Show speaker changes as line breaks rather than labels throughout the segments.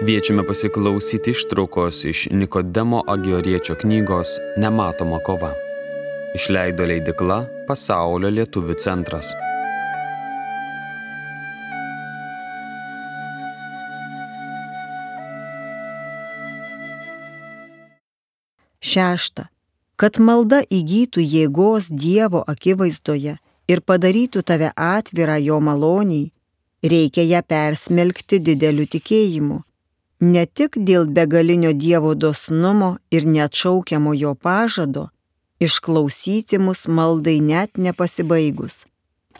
Kviečiame pasiklausyti ištraukos iš Nikodemo Agioriečio knygos Nematoma kova. Išleido leidykla Pasaulio lietuvių centras.
Šešta. Kad malda įgytų jėgos Dievo akivaizdoje ir padarytų tave atvirą jo maloniai, reikia ją persmelkti dideliu tikėjimu. Ne tik dėl begalinio Dievo dosnumo ir neatšaukiamo jo pažado išklausyti mus maldai net nepasibaigus,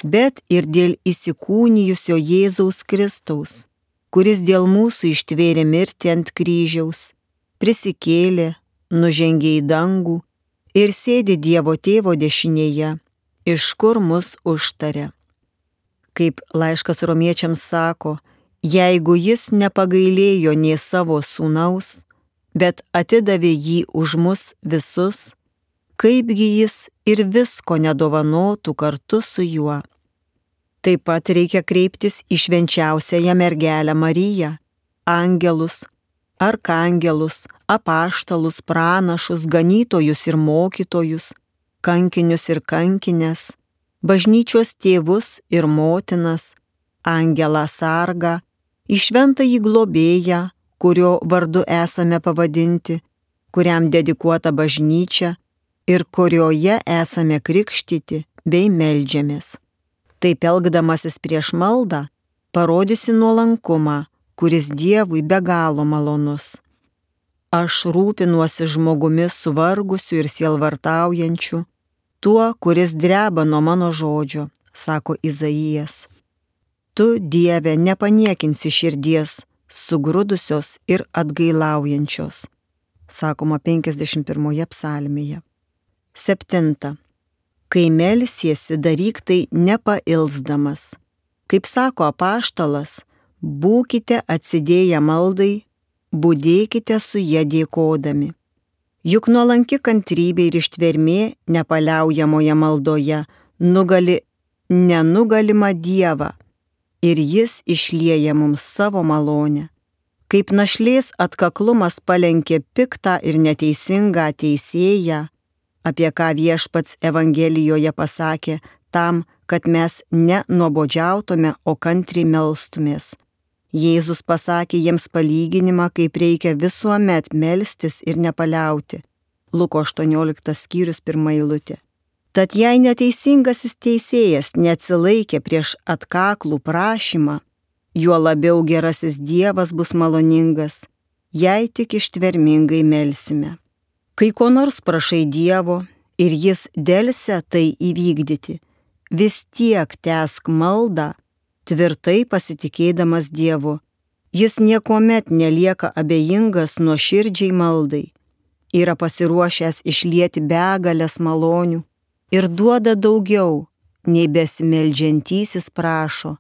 bet ir dėl įsikūnijusio Jėzaus Kristaus, kuris dėl mūsų ištvėrė mirtį ant kryžiaus, prisikėlė, nužengė į dangų ir sėdi Dievo Tėvo dešinėje, iš kur mus užtaria. Kaip laiškas Romiečiams sako, jeigu jis nepagailėjo nė savo sūnaus, bet atidavė jį už mus visus, kaipgi jis ir visko nedovanotų kartu su juo. Taip pat reikia kreiptis į švenčiausiąją mergelę Mariją, angelus, arkangelus, apaštalus, pranašus, ganytojus ir mokytojus, kankinius ir kankines, bažnyčios tėvus ir motinas, angelą sargą, į šventąjį globėją, kurio vardu esame pavadinti, kuriam dedikuota bažnyčia ir kurioje esame krikštyti bei meldžiamės. Taip elgdamasis prieš maldą, parodysi nuolankumą, kuris Dievui be galo malonus. Aš rūpinuosi žmogumi suvargusiu ir sielvartaujančiu, tuo, kuris dreba nuo mano žodžio, sako Izaijas. Tu, Dieve, nepaniekinsi širdies, sugrudusios ir atgailaujančios, sakoma 51 psalmėje. 7. Kai melsiesi, daryk tai nepailsdamas. Kaip sako apaštalas, būkite atsidėję maldai, budėkite su ja dėkodami. Juk nuolanki kantrybė ir ištvermė nepaliaujamoje maldoje nugali nenugalimą Dievą ir jis išlieja mums savo malonę. Kaip našlės atkaklumas palenkė piktą ir neteisingą teisėją, apie ką Viešpats Evangelijoje pasakė tam, kad mes nenuobodžiautume, o kantriai melstumės. Jėzus pasakė jiems palyginimą, kaip reikia visuomet melstis ir nepaliauti. Luko 18 skyrius 1 eilutė. Tad jei neteisingasis teisėjas neatsilaikė prieš atkaklų prašymą, juo labiau gerasis Dievas bus maloningas, jei tik ištvermingai melsime. Kai ko nors prašai Dievo ir jis delsia tai įvykdyti, vis tiek tęsk maldą, tvirtai pasitikėdamas Dievu. Jis niekuomet nelieka abejingas nuoširdžiai maldai, yra pasiruošęs išlieti begalės malonių ir duoda daugiau, nei besimeldžiantysis prašo,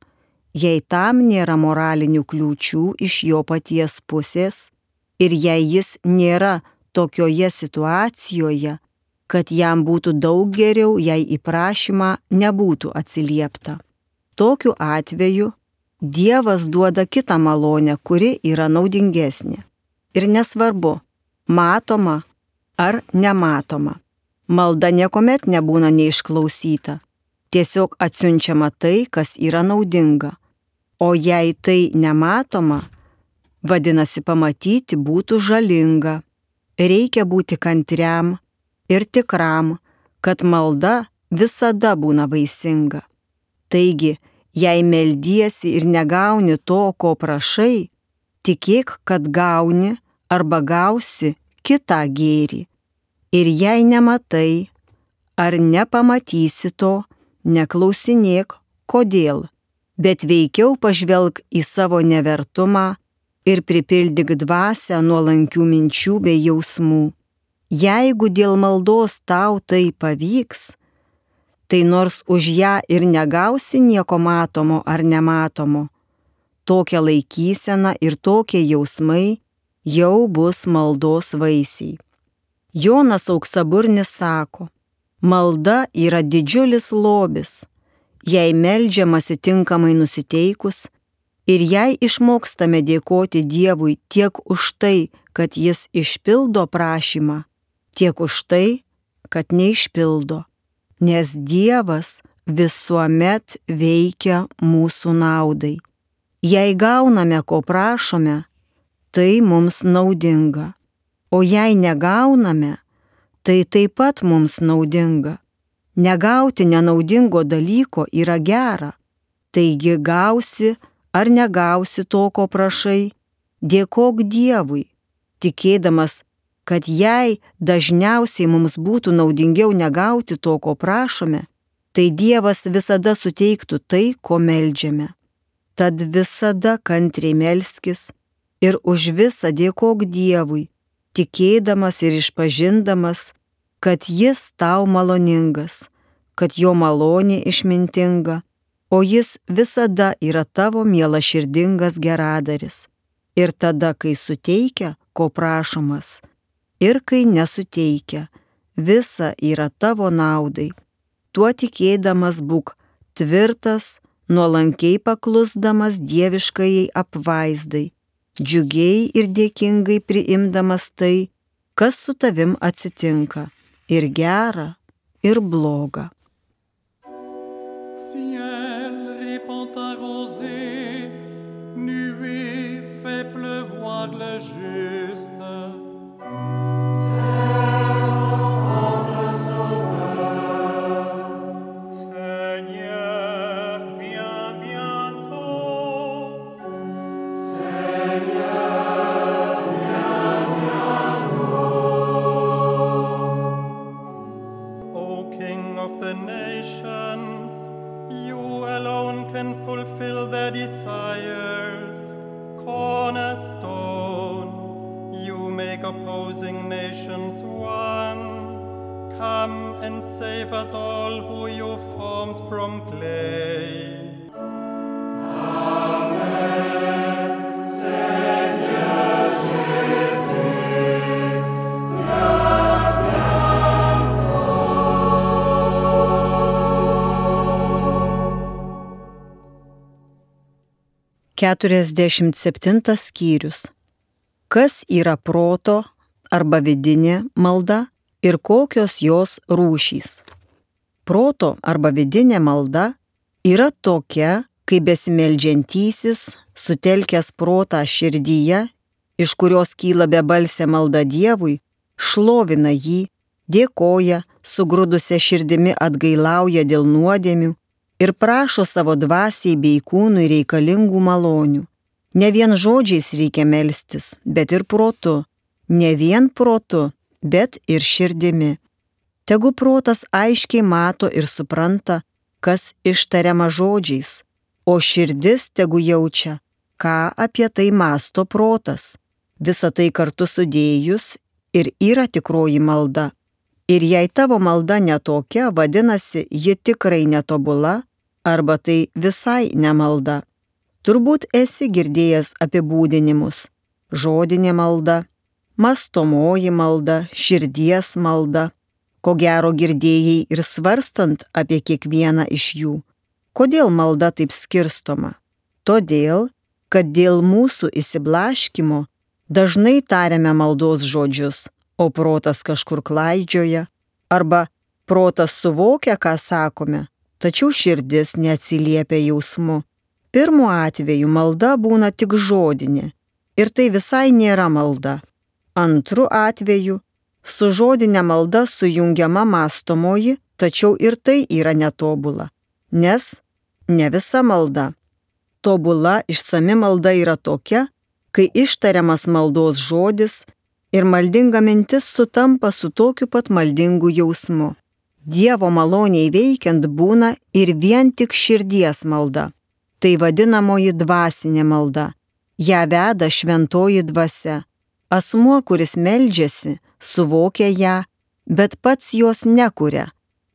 jei tam nėra moralinių kliūčių iš jo paties pusės ir jei jis nėra tokioje situacijoje, kad jam būtų daug geriau, jei į prašymą nebūtų atsiliepta. Tokiu atveju Dievas duoda kitą malonę, kuri yra naudingesnė. Ir nesvarbu, matoma ar nematoma. Malda niekuomet nebūna neišklausyta. Tiesiog atsiunčiama tai, kas yra naudinga. O jei tai nematoma, vadinasi pamatyti būtų žalinga. Reikia būti kantriam ir tikram, kad malda visada būna vaisinga. Taigi, jei meldiesi ir negauni to, ko prašai, tikėk, kad gauni arba gausi kitą gėrį. Ir jei nematai ar nepamatysi to, neklausinėk, kodėl, bet veikiau pažvelk į savo nevertumą ir pripildyk dvasią nuolankių minčių bei jausmų. Jeigu dėl maldos tau tai pavyks, tai nors už ją ir negausi nieko matomo ar nematomo, tokia laikysena ir tokie jausmai jau bus maldos vaisiai. Jonas Auksaburnis sako, malda yra didžiulis lobis, jei meldžiamasi tinkamai nusiteikus Ir jei išmokstame dėkoti Dievui tiek už tai, kad Jis išpildo prašymą, tiek už tai, kad neišpildo, nes Dievas visuomet veikia mūsų naudai. Jei gauname, ko prašome, tai mums naudinga, o jei negauname, tai taip pat mums naudinga. Negauti nenaudingo dalyko yra gera, taigi gausi ar negausi to, ko prašai, dėkok Dievui, tikėdamas, kad jei dažniausiai mums būtų naudingiau negauti to, ko prašome, tai Dievas visada suteiktų tai, ko meldžiame. Tad visada kantriai melskis ir už visą dėkok Dievui, tikėdamas ir išpažindamas, kad Jis tau maloningas, kad Jo malonė išmintinga, o Jis visada yra tavo mielaširdingas geradaris. Ir tada, kai suteikia, ko prašomas, ir kai nesuteikia, visa yra tavo naudai. Tuo tikėdamas būk tvirtas, nuolankiai paklusdamas dieviškajai apvaizdai, džiugiai ir dėkingai priimdamas tai, kas su tavim atsitinka, ir gera, ir bloga.
Ciel répand ta rosée, nuée fait pleuvoir le juste. Fulfill their desires, cornerstone, you make opposing nations one. Come and save us all who you formed from clay. Amen, Seigneur Jésus, viens bientôt.
47 skyrius. Kas yra proto arba vidinė malda ir kokios jos rūšys? Proto arba vidinė malda yra tokia, kai besimeldžiantysis, sutelkęs protą širdyje, iš kurios kyla bebalsė malda Dievui, šlovina jį, dėkoja, sugrūdusią širdimi atgailauja dėl nuodėmių ir prašo savo dvasiai bei kūnui reikalingų malonių. Ne vien žodžiais reikia melstis, bet ir protu. Ne vien protu, bet ir širdimi. Tegu protas aiškiai mato ir supranta, kas ištariama žodžiais, o širdis tegu jaučia, ką apie tai mąsto protas. Visa tai kartu sudėjus ir yra tikroji malda. Ir jei tavo malda netokia, vadinasi, ji tikrai netobula, arba tai visai nemalda. Turbūt esi girdėjęs apibūdinimus: žodinė malda, mąstomoji malda, širdies malda. Ko gero girdėjai ir svarstant apie kiekvieną iš jų. Kodėl malda taip skirstoma? Todėl, kad dėl mūsų išsiblaškymo dažnai tariame maldos žodžius, o protas kažkur klaidžioja, arba protas suvokia, ką sakome, tačiau širdis neatsiliepia jausmu. Pirmu atveju malda būna tik žodinė ir tai visai nėra malda. Antru atveju su žodinė malda sujungiama mąstomoji, tačiau ir tai yra netobula, nes ne visa malda. Tobula išsami malda yra tokia, kai ištariamas maldos žodis ir maldinga mintis sutampa su tokiu pat maldingu jausmu. Dievo maloniai veikiant būna ir vien tik širdies malda. Tai vadinamoji dvasinė malda. Ja veda šventoji dvasia. Asmuo, kuris meldžiasi, suvokia ją, bet pats jos nekuria.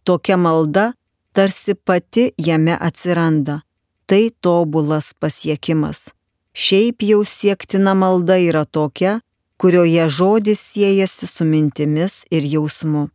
Tokia malda tarsi pati jame atsiranda. Tai tobulas pasiekimas. Šiaip jau siektina malda yra tokia, kurioje žodis siejasi su mintimis ir jausmu.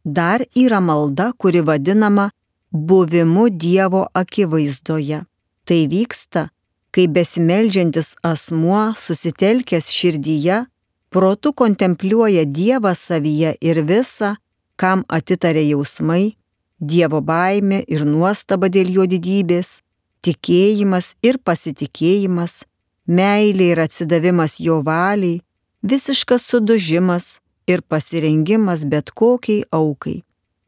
Dar yra malda, kuri vadinama buvimu Dievo akivaizdoje. Tai vyksta, kai besimeldžiantis asmuo susitelkęs širdyje, protu kontempliuoja Dievą savyje ir visa, kam atitarė jausmai, Dievo baimė ir nuostaba dėl jo didybės, tikėjimas ir pasitikėjimas, meilė ir atsidavimas jo valiai, visiškas sudužimas ir pasirengimas bet kokiai aukai.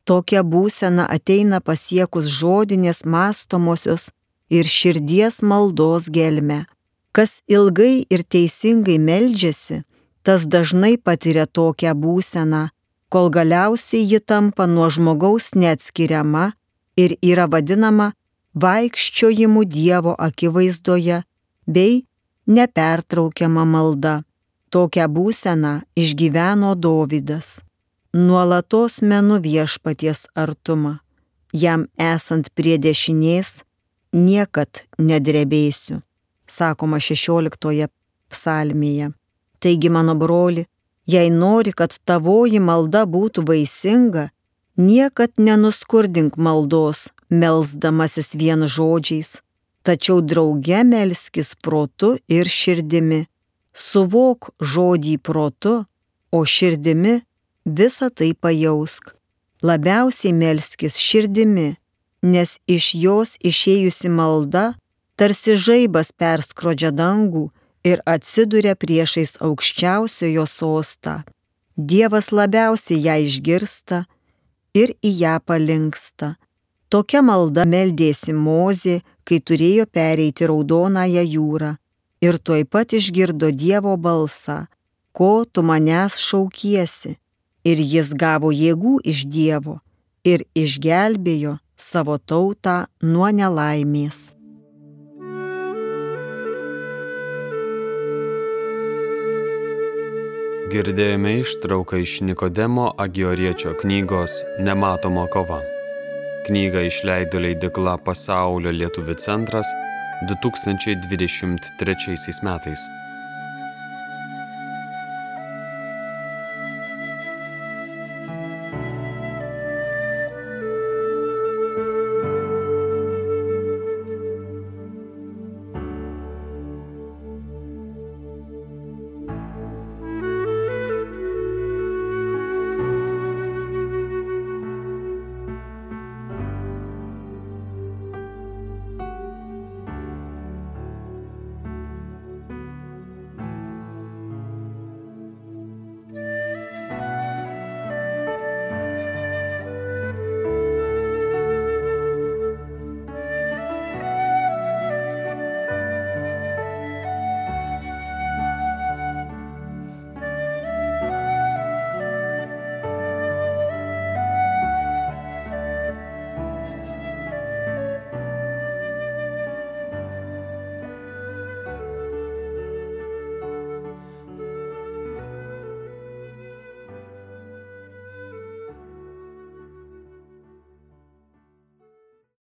Tokia būsena ateina pasiekus žodinės mąstomosios ir širdies maldos gelmę. Kas ilgai ir teisingai meldžiasi, tas dažnai patiria tokią būseną, kol galiausiai ji tampa nuo žmogaus neatskiriama ir yra vadinama vaikščiojimu Dievo akivaizdoje bei nepertraukiama malda. Tokią būseną išgyveno Dovydas. Nuolatos menu viešpaties artumą. Jam esant prie dešinės, niekad nedrebėsiu, sakoma 16 psalmėje. Taigi, mano broli, jei nori, kad tavoji malda būtų vaisinga, niekad nenuskurdink maldos, melsdamasis vien žodžiais, tačiau drauge melskis protu ir širdimi. Suvok žodį protu, o širdimi visą tai pajausk. Labiausiai melskis širdimi, nes iš jos išėjusi malda tarsi žaibas perskrodžia dangų ir atsiduria priešais aukščiausiojo sostą. Dievas labiausiai ją išgirsta ir į ją palinksta. Tokia malda meldėsi Mozė, kai turėjo pereiti Raudonąją jūrą, ir tuoj pat išgirdo Dievo balsą, ko tu manęs šaukiesi, ir jis gavo jėgų iš Dievo ir išgelbėjo savo tautą nuo nelaimės.
Girdėjome ištrauką iš Nikodemo Agioriečio knygos Nematoma kova. Knygą išleido leidykla Pasaulio lietuvių centras 2023 metais.